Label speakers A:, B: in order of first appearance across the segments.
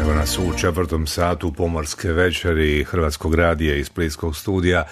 A: Evo nas u 4. satu pomorske večeri Hrvatskog radija iz Splitskog studija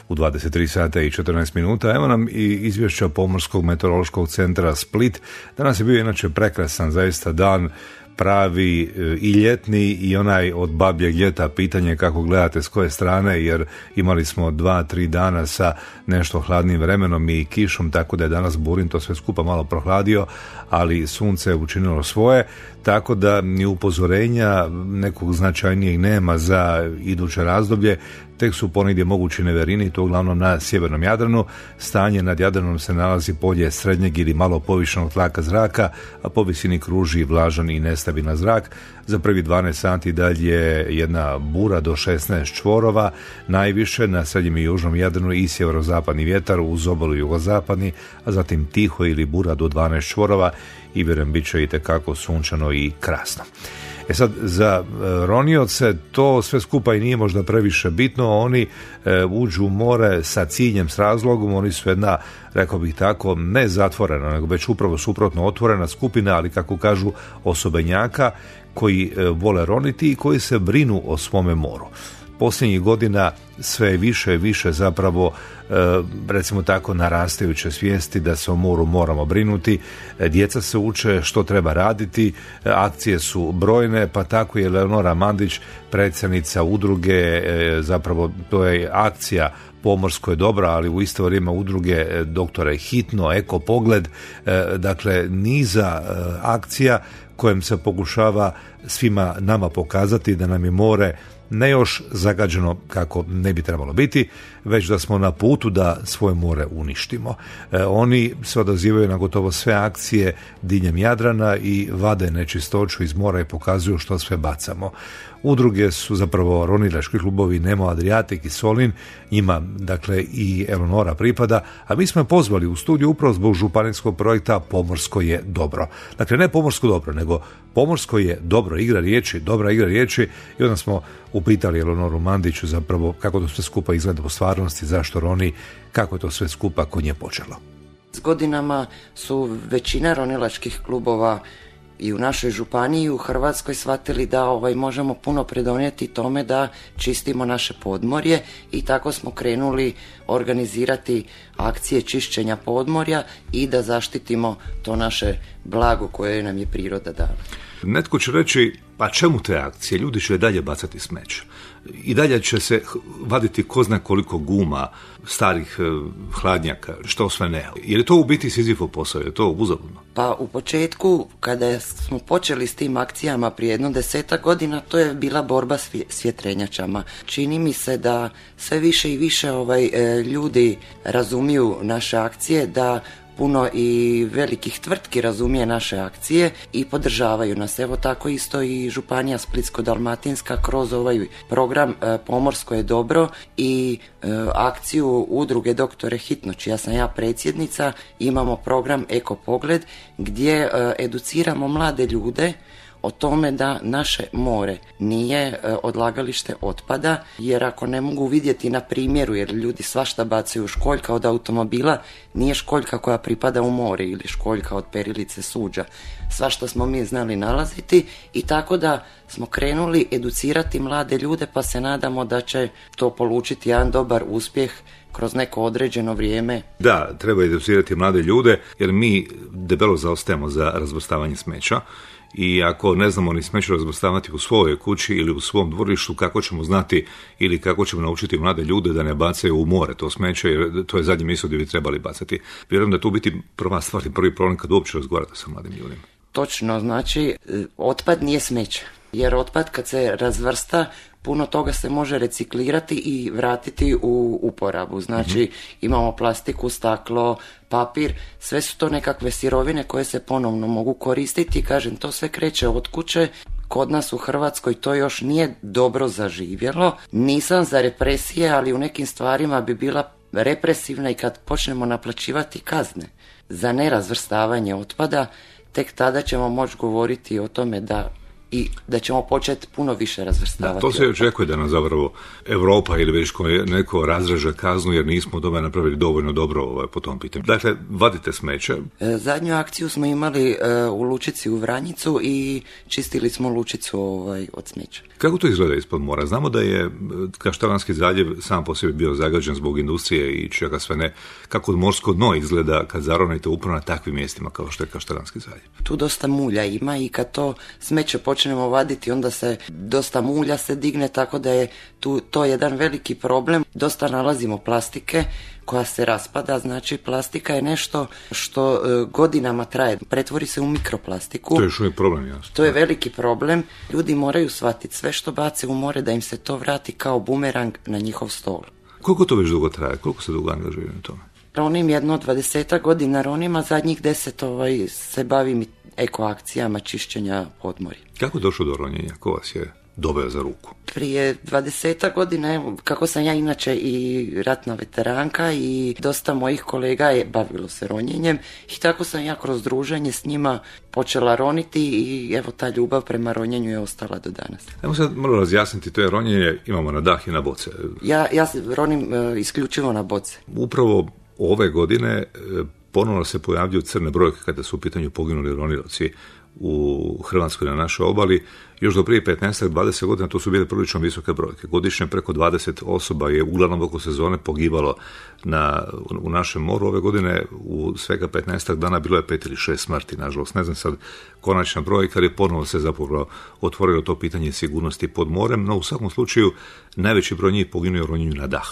A: u 23 sata i 14 minuta. Evo nam i izvješća Pomorskog meteorološkog centra Split. Danas je bio inače prekrasan zaista dan, pravi i ljetni i onaj od babljeg ljeta. Pitanje kako gledate s koje strane, jer imali smo 2-3 dana sa nešto hladnim vremenom i kišom, tako da je danas Burin to sve skupa malo prohladio, ali sunce je učinilo svoje, tako da ni upozorenja nekog značajnijeg nema za iduće razdoblje. Tek su ponegdje mogući neverini, to uglavnom na sjevernom Jadranu. Stanje nad Jadranom se nalazi polje srednjeg ili malo povišenog tlaka zraka, a po visini kruži vlažan i nestabilan zrak. Za prvi 12 sati dalje jedna bura do 16 čvorova, najviše na srednjem i južnom Jadranu i sjeverozapadni vjetar, uz obalu jugozapadni, a zatim tiho ili bura do 12 čvorova i vjerujem bit će itekako sunčano i krasno. Sad, za ronioce to sve skupa i nije možda previše bitno. Oni uđu u more sa ciljem, s razlogom. Oni su jedna, rekao bih tako, ne zatvorena, nego već upravo suprotno otvorena skupina, ali kako kažu osobenjaka koji vole roniti i koji se brinu o svome moru. Posljednjih godina sve više i više zapravo, recimo tako, narastajuće svijesti da se o moru moramo brinuti. Djeca se uče što treba raditi, akcije su brojne, pa tako je Leonora Mandić, predsjednica udruge, zapravo to je akcija Pomorsko je dobro, ali u isto vrijeme udruge Doktore Hitno, Eko Pogled, dakle niza akcija kojim se pokušava svima nama pokazati da nam je more ne još zagađeno kako ne bi trebalo biti, već da smo na putu da svoje more uništimo. Oni se odazivaju na gotovo sve akcije diljem Jadrana i vade nečistoću iz mora i pokazuju što sve bacamo. Udruge su zapravo ronilački klubovi Nemo, Adriatic i Solin, njima dakle i Eleonora pripada, a mi smo je pozvali u studiju upravo zbog županijskog projekta Pomorsko je dobro. Dakle, ne pomorsko dobro, nego pomorsko je dobro, igra riječi, dobra igra riječi, i onda smo upitali Eleonoru Mandiću zapravo kako to sve skupa izgleda u stvarnosti, zašto roni, kako je to sve skupa kod nje počelo.
B: S godinama su većina ronilačkih klubova i u našoj županiji i u Hrvatskoj shvatili da možemo puno pridonijeti tome da čistimo naše podmorje, i tako smo krenuli organizirati akcije čišćenja podmorja i da zaštitimo to naše blago koje nam je priroda dala.
A: Netko će reći, pa čemu te akcije? Ljudi će dalje bacati smeće. I dalje će se vaditi ko zna koliko guma, starih hladnjaka, što sve ne. Jer je to u biti Sizifov posao, je to uzaludno?
B: Pa u početku, kada smo počeli s tim akcijama prije 10 godina, to je bila borba s vjetrenjačama. Čini mi se da sve više i više ljudi razumiju naše akcije, da puno i velikih tvrtki razumije naše akcije i podržavaju nas. Evo tako isto i županija Splitsko-dalmatinska kroz ovaj program Pomorsko je dobro i akciju udruge Doktore Hitno, čija sam ja predsjednica, imamo program Eko Pogled gdje educiramo mlade ljude o tome da naše more nije odlagalište otpada, jer ako ne mogu vidjeti na primjeru, jer ljudi svašta bacaju, školjka od automobila nije školjka koja pripada u more ili školjka od perilice suđa. Svašta smo mi znali nalaziti, i tako da smo krenuli educirati mlade ljude, pa se nadamo da će to polučiti jedan dobar uspjeh kroz neko određeno vrijeme.
A: Da, treba educirati mlade ljude, jer mi debelo zaostajemo za razvrstavanje smeća. I ako ne znamo ni smeće razvrstavati u svojoj kući ili u svom dvorištu, kako ćemo znati ili kako ćemo naučiti mlade ljude da ne bacaju u more to smeće, jer to je zadnje mjesto gdje bi trebali bacati. Vjerujem da tu biti prva stvar i prvi problem kad uopće razgovarate sa mladim ljudima.
B: Točno, znači otpad nije smeće, jer otpad kad se razvrsta, puno toga se može reciklirati i vratiti u uporabu. Znači imamo plastiku, staklo, papir, sve su to nekakve sirovine koje se ponovno mogu koristiti. Kažem, to sve kreće od kuće. Kod nas u Hrvatskoj to još nije dobro zaživjelo. Nisam za represije, ali u nekim stvarima bi bila represivna, i kad počnemo naplaćivati kazne za nerazvrstavanje otpada, tek tada ćemo moći govoriti o tome da i da ćemo početi puno više razvrstavati.
A: To se očekuje da nam zapravo Europa ili već neko razreže kaznu jer nismo doma napravili dovoljno dobro po tom pitanju. Dakle, vadite smeće.
B: Zadnju akciju smo imali u lučici u Vranjicu i čistili smo lučicu od smeća.
A: Kako to izgleda ispod mora? Znamo da je Kaštelanski zaljev sam po sebi bio zagađen zbog industrije i čega sve ne. Kako morsko dno izgleda kad zaronite upravo na takvim mjestima kao što je Kaštelanski zaljev?
B: Tu dosta mulja ima i kad to smeće počnemo vaditi, onda se dosta mulja se digne, tako da je to jedan veliki problem. Dosta nalazimo plastike koja se raspada, znači plastika je nešto što godinama traje, pretvori se u mikroplastiku.
A: To je još uvijek problem, jasno.
B: To je veliki problem. Ljudi moraju shvatiti sve što bace u more da im se to vrati kao bumerang na njihov stol.
A: Koliko to već dugo traje? Koliko se dugo angažuju na tome?
B: Ronim jedno 20 godina, ronima zadnjih 10 se bavim ekoakcijama čišćenja podmorja.
A: Kako je došlo do ronjenja? Ko vas je doveo za ruku?
B: Prije 20 godina, evo, kako sam ja inače i ratna veteranka i dosta mojih kolega je bavilo se ronjenjem i tako sam ja kroz druženje s njima počela roniti i evo ta ljubav prema ronjenju je ostala do danas.
A: Evo sad moram razjasniti, to je ronjenje, imamo na dah i na boce.
B: Ja se ronim isključivo na boce.
A: Upravo ove godine ponovno se pojavljuju crne brojke kada su u pitanju poginuli ronilaci u Hrvatskoj na našoj obali. Još do prije 15-20 godina to su bile prilično visoke brojke. Godišnje preko 20 osoba je uglavnom oko sezone pogibalo u našem moru. Ove godine u svega 15 dana bilo je 5 ili 6 smrti, nažalost. Ne znam sad konačna brojka, jer je ponovo se zapravo otvorilo to pitanje sigurnosti pod morem, no u svakom slučaju najveći broj njih poginuo u ronjenju na dah.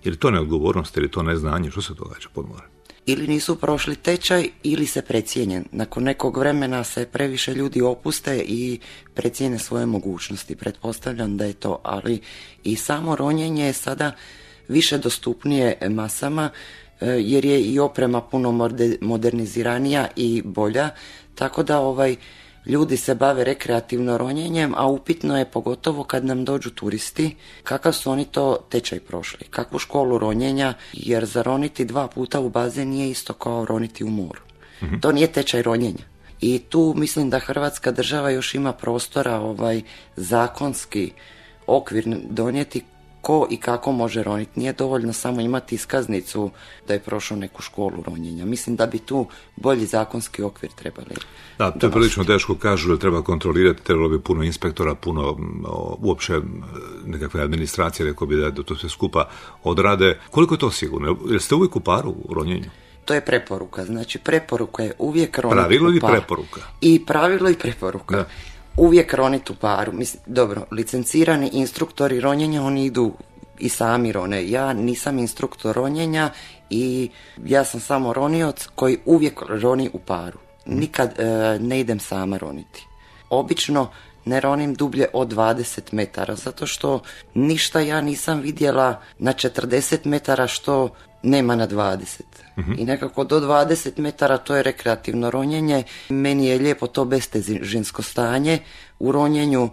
A: Jer to neodgovornost, ili to neznanje, što se događa pod morem?
B: Ili nisu prošli tečaj, ili se precijenjen. Nakon nekog vremena se previše ljudi opuste i precijene svoje mogućnosti. Pretpostavljam da je to, ali i samo ronjenje je sada više dostupnije masama, jer je i oprema puno moderniziranija i bolja, tako da ljudi se bave rekreativno ronjenjem, a upitno je pogotovo kad nam dođu turisti kakav su oni to tečaj prošli, kakvu školu ronjenja, jer zaroniti 2 puta u bazen nije isto kao roniti u moru. Mm-hmm. To nije tečaj ronjenja. I tu mislim da Hrvatska država još ima prostora zakonski okvir donijeti ko i kako može roniti. Nije dovoljno samo imati iskaznicu da je prošao neku školu ronjenja. Mislim da bi tu bolji zakonski okvir trebali.
A: Da, to je prilično teško, kažu da treba kontrolirati, trebalo bi puno inspektora, puno uopće nekakve administracije, rekao bi da to sve skupa odrade. Koliko je to sigurno? Jeste uvijek u paru u ronjenju?
B: To je preporuka. Znači preporuka je uvijek roniti u paru.
A: Pravilo ili preporuka?
B: I pravilo i preporuka. Da. Uvijek roniti u paru. Mislim, dobro, licencirani instruktori ronjenja, oni idu i sami rone. Ja nisam instruktor ronjenja i ja sam samo ronioc koji uvijek roni u paru. Nikad ne idem sama roniti. Obično ne ronim dublje od 20 metara, zato što ništa ja nisam vidjela na 40 metara što nema na 20. Mm-hmm. I nekako do 20 metara to je rekreativno ronjenje. Meni je lijepo to bestežinsko stanje u ronjenju.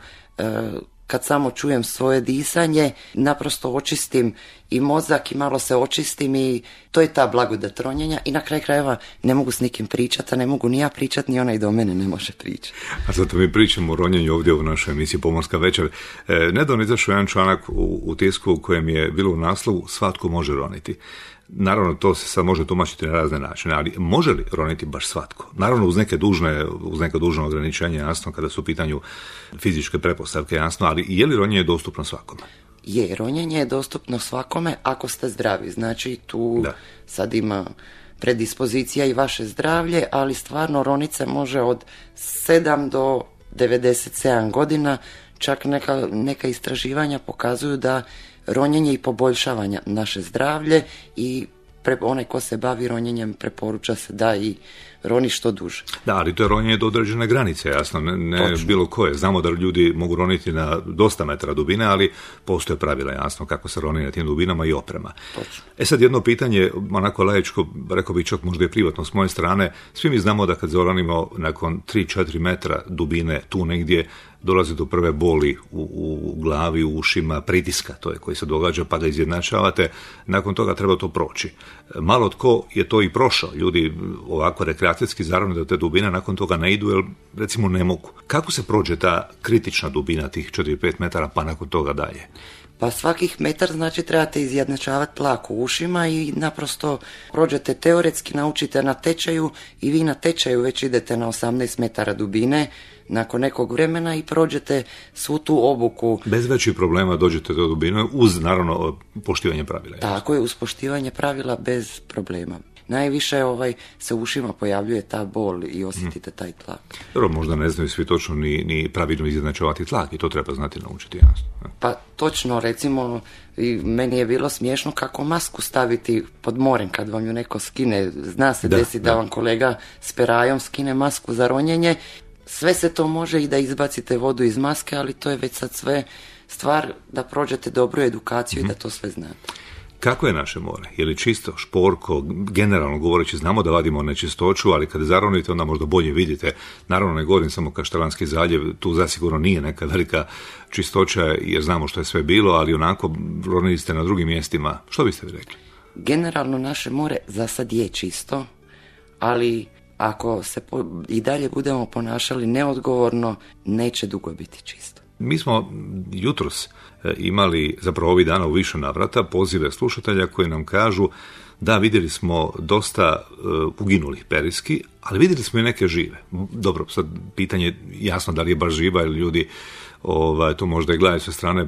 B: Kad samo čujem svoje disanje, naprosto očistim i mozak i malo se očistim i to je ta blagodat ronjenja i na kraju krajeva ne mogu s nikim pričati, a ne mogu ni ja pričati, ni onaj do mene ne može pričati.
A: A zato mi pričamo o ronjenju ovdje u našoj emisiji Pomorska večer. Nedavno izašao jedan članak u tisku u kojem je bilo u naslovu svatko može roniti. Naravno, to se sad može tumačiti na razne načine, ali može li roniti baš svatko? Naravno, uz neke dužne ograničenja, jasno, kada su u pitanju fizičke pretpostavke, jasno, ali je li ronjenje dostupno svakome?
B: Je, ronjenje je dostupno svakome ako ste zdravi. Znači, tu sad ima predispozicija i vaše zdravlje, ali stvarno ronice može od 7 do 97 godina. Čak neka istraživanja pokazuju da ronjenje i poboljšavanja naše zdravlje i onaj ko se bavi ronjenjem preporuča se da i roni što duže. Da,
A: ali to je ronjenje do određene granice, jasno, ne bilo koje. Znamo da ljudi mogu roniti na dosta metara dubine, ali postoje pravila, jasno, kako se roni na tim dubinama i oprema.
B: Točno.
A: Sad jedno pitanje, onako laičko, rekao bih čak možda i privatno s moje strane, svi mi znamo da kad zaronimo nakon 3-4 metra dubine tu negdje, dolazi do prve boli u glavi, u ušima, pritiska, to je koji se događa, pa ga izjednačavate, nakon toga treba to proći. Malo tko je to i prošao, ljudi ovako rekreacijski zaravno do te dubine, nakon toga ne idu, jer recimo ne mogu. Kako se prođe ta kritična dubina tih 4-5 metara, pa nakon toga dalje?
B: Pa svakih metar znači trebate izjednačavati tlak u ušima i naprosto prođete teoretski, naučite na tečaju i vi na tečaju već idete na 18 metara dubine nakon nekog vremena i prođete svu tu obuku.
A: Bez većih problema dođete do dubine uz naravno poštivanje pravila.
B: Tako je, uz poštivanje pravila bez problema. Najviše se u ušima pojavljuje ta bol i osjetite taj tlak.
A: Dobro, možda ne znaju svi točno ni pravilno izjednačavati tlak i to treba znati naučiti, jasno.
B: Pa točno, recimo, meni je bilo smiješno kako masku staviti pod morem kad vam ju neko skine. Zna se desi da vam kolega s perajom skine masku za ronjenje. Sve se to može i da izbacite vodu iz maske, ali to je već sad sve stvar da prođete dobru edukaciju i da to sve znate.
A: Kako je naše more? Je li čisto, šporko, generalno govoreći, znamo da vadimo nečistoću, ali kada zaronite onda možda bolje vidite. Naravno ne govorim samo Kaštelanski zaljev, tu zasigurno nije neka velika čistoća jer znamo što je sve bilo, ali onako ronili ste na drugim mjestima. Što biste vi rekli?
B: Generalno naše more za sad je čisto, ali ako se i dalje budemo ponašali neodgovorno, neće dugo biti čisto.
A: Mi smo jutros imali, zapravo ovih dana u više navrata, pozive slušatelja koji nam kažu da vidjeli smo dosta uginulih periski, ali vidjeli smo i neke žive. Dobro, sad pitanje jasno da li je baš živa ili ljudi to možda i gledaju sa strane,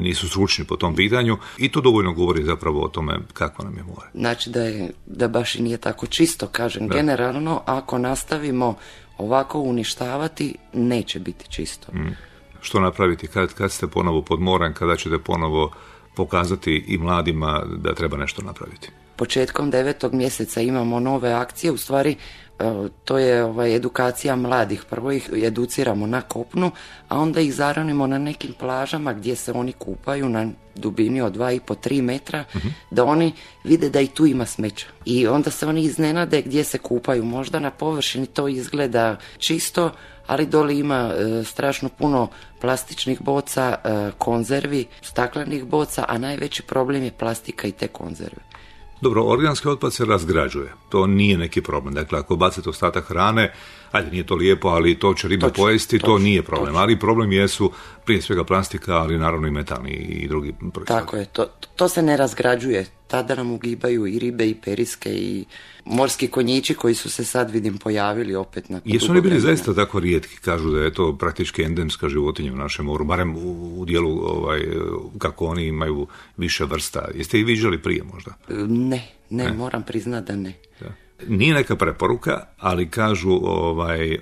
A: nisu stručni po tom pitanju i to dovoljno govori zapravo o tome kako nam je more.
B: Znači da baš i nije tako čisto, kažem. Da. Generalno, ako nastavimo ovako uništavati, neće biti čisto.
A: Što napraviti kad ste ponovo pod morem, kada ćete ponovo pokazati i mladima da treba nešto napraviti?
B: Početkom 9. mjeseca imamo nove akcije, u stvari to je edukacija mladih. Prvo ih educiramo na kopnu, a onda ih zaronimo na nekim plažama gdje se oni kupaju na dubini od 2,5-3 metra, da oni vide da i tu ima smeća. I onda se oni iznenade gdje se kupaju. Možda na površini to izgleda čisto, ali dole ima strašno puno plastičnih boca, konzervi, staklenih boca, a najveći problem je plastika i te konzerve.
A: Dobro, organski otpad se razgrađuje. To nije neki problem. Dakle, ako bacite ostatak hrane, ajde, nije to lijepo, ali to će riba pojesti, to nije problem. Ali problem jesu prije svega plastika, ali naravno i metalni i drugi proizvodi.
B: Tako je, to se ne razgrađuje. Tada nam ugibaju i ribe i periske i morski konjići koji su se sad vidim pojavili opet nakon dugo vremena.
A: Jesu oni bili zaista tako rijetki? Kažu da je to praktički endemska životinja u našem moru, barem u dijelu kako oni imaju više vrsta. Jeste i viđali prije možda?
B: Ne, moram priznati da ne.
A: Da. Nije neka preporuka, ali kažu,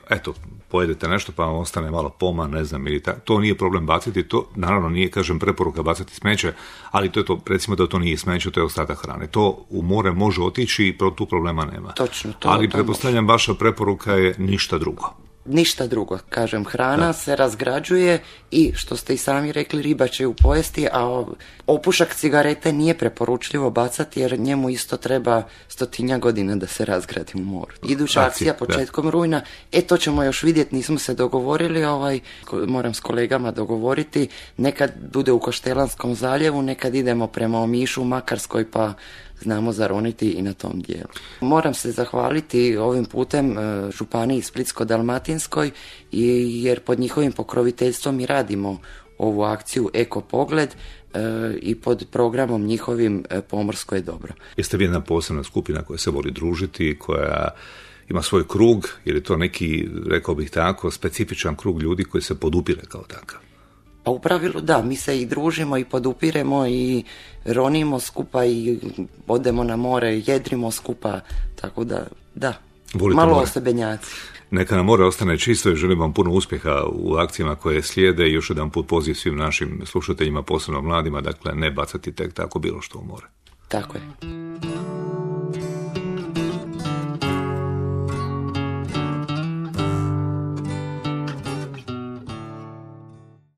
A: eto, pojedete nešto pa vam ostane malo poma, ne znam, ili to nije problem baciti, to naravno nije, kažem, preporuka bacati smeće, ali to je to, recimo da to nije smeće, to je ostatak hrane. To u more može otići i tu problema nema.
B: Točno,
A: ali pretpostavljam vaša preporuka je ništa drugo.
B: Ništa drugo, kažem, hrana se razgrađuje i što ste i sami rekli, riba će ju pojesti, a opušak cigarete nije preporučljivo bacati jer njemu isto treba 100 godina da se razgradi u moru. Iduća akcija početkom rujna, to ćemo još vidjeti, nismo se dogovorili, moram s kolegama dogovoriti, nekad bude u Kaštelanskom zaljevu, nekad idemo prema Omišu, Makarskoj, pa znamo zaroniti i na tom dijelu. Moram se zahvaliti ovim putem županiji Splitsko-dalmatinskoj jer pod njihovim pokroviteljstvom mi radimo ovu akciju Eko Pogled i pod programom njihovim Pomorsko je dobro.
A: Jeste vi jedna posebna skupina koja se voli družiti, koja ima svoj krug, jer je to neki, rekao bih tako, specifičan krug ljudi koji se podupire kao takav?
B: Pa u pravilu da, mi se i družimo i podupiremo i ronimo skupa i odemo na more, jedrimo skupa, tako da,
A: volite
B: malo
A: more.
B: osebenjaci.
A: Neka nam more ostane čisto i želim vam puno uspjeha u akcijama koje slijede i još jedan put poziv svim našim slušateljima, posebno mladima, dakle ne bacati tek tako bilo što u more.
B: Tako je.